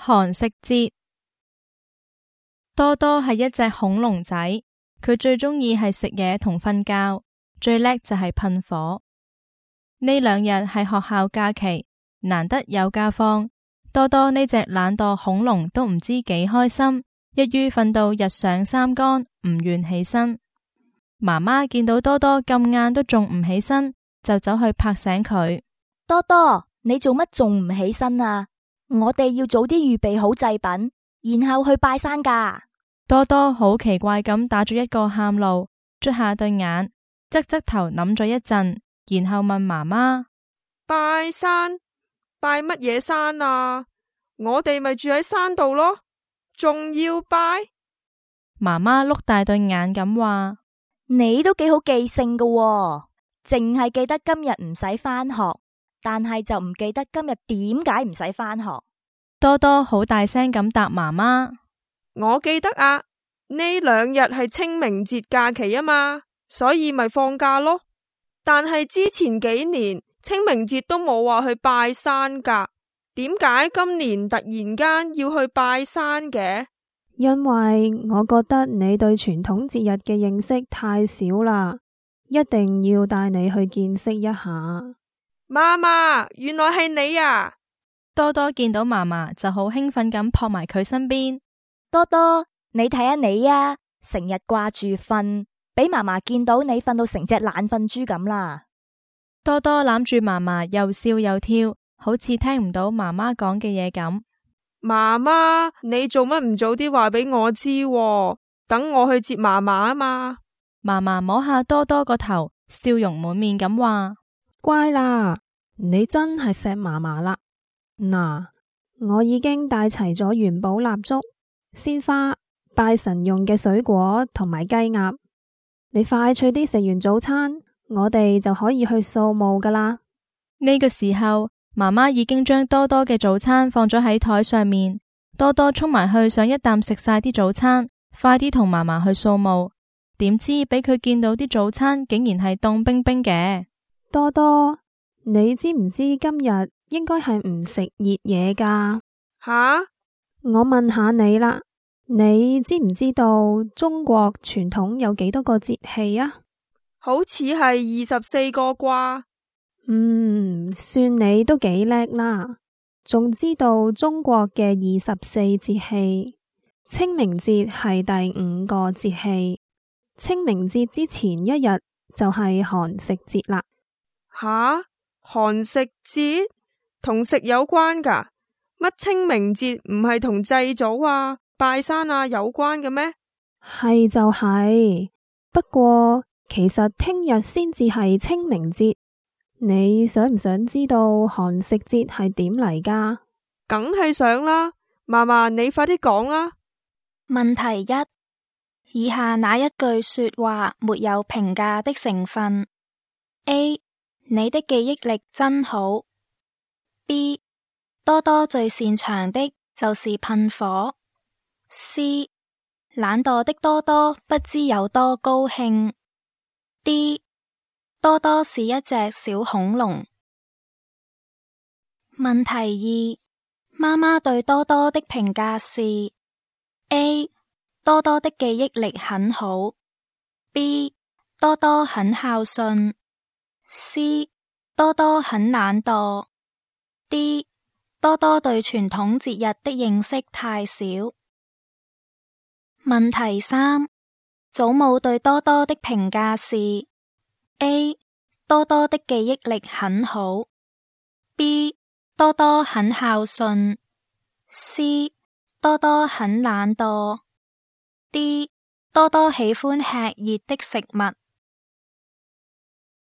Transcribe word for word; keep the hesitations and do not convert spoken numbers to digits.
寒食節。多多係一隻恐龍仔，佢最鍾意係食嘢同瞓覺，最叻就係噴火。呢兩日係學校假期，難得有假放，多多呢隻懶惰恐龍都唔知幾開心，一於瞓到日上三竿，唔願起身。媽媽見到多多咁晏都仲唔起身，就走去拍醒佢。多多，你做乜仲唔起身啊？我哋要早啲預備好祭品，然後去拜山㗎。多多好奇怪咁打咗一個喊路，捽下對眼，側側頭諗咗一陣，然後問媽媽：拜山？拜乜嘢山啊？我哋咪住喺山度咯，仲要拜？媽媽碌大對眼咁話：你都幾好記性㗎喎，淨係記得今日唔使返學，但係就唔記得今日點解唔使返學。多多好大聲咁答媽媽：我記得啊，呢兩日係清明節假期啊嘛，所以咪放假咯。但係之前幾年清明節都冇話去拜山㗎，點解今年突然間要去拜山嘅？因為我覺得你對傳統節日嘅認識太少啦，一定要帶你去見識一下。媽媽，原來係你啊！多多見到嫲嫲就好興奮咁撲埋佢身邊。多多，你睇下你啊，成日掛住瞓，俾嫲嫲見到你瞓到成隻懶瞓豬咁啦。多多攬住嫲嫲又笑又跳，好似聽唔到媽媽講嘅嘢咁。媽媽，你做乜唔早啲話俾我知喎？等我去接嫲嫲啊嘛。嫲嫲摸下多多個頭，笑容滿面咁話：乖啦，你真係錫嫲嫲啦。嗱，我已經帶齊咗元寶蠟燭、鮮花、拜神用嘅水果同埋雞鴨。你快脆啲食完早餐，我哋就可以去掃墓噶啦。呢個時候，媽媽已經將多多嘅早餐放咗喺台上面。多多衝埋去想一啖食晒啲早餐，快啲同嫲嫲去掃墓。點知俾佢見到啲早餐竟然係凍冰冰嘅。多多，你知唔知今日應該係唔食熱嘢噶？吓？我問下你啦，你知唔知道中國傳統有幾多個節氣啊？好似係二十四個啩。嗯，算你都幾叻啦，仲知道中國嘅二十四節氣。清明節係第五個節氣，清明節之前一日就係寒食節啦。吓？寒食節同食有關噶？乜清明節唔係同祭祖啊、拜山啊有關嘅咩？係就係，不過其實聽日先至係清明節。你想唔想知道寒食節係點嚟噶？梗係想啦，嫲嫲你快啲講啦。問題一：以下哪一句說話沒有評價的成分 ？A. 你的記憶力真好。B. 多多最擅長的就是噴火。C. 懶惰的多多不知有多高興。D. 多多是一隻小恐龍。問題二：媽媽對多多的評價是 A. 多多的記憶力很好。B. 多多很孝順。C. 多多很懶惰。D. 多多對傳統節日的認識太少。問題三：祖母對多多的評價是 A. 多多的記憶力很好。B. 多多很孝順。C. 多多很懶惰。D. 多多喜歡吃熱的食物。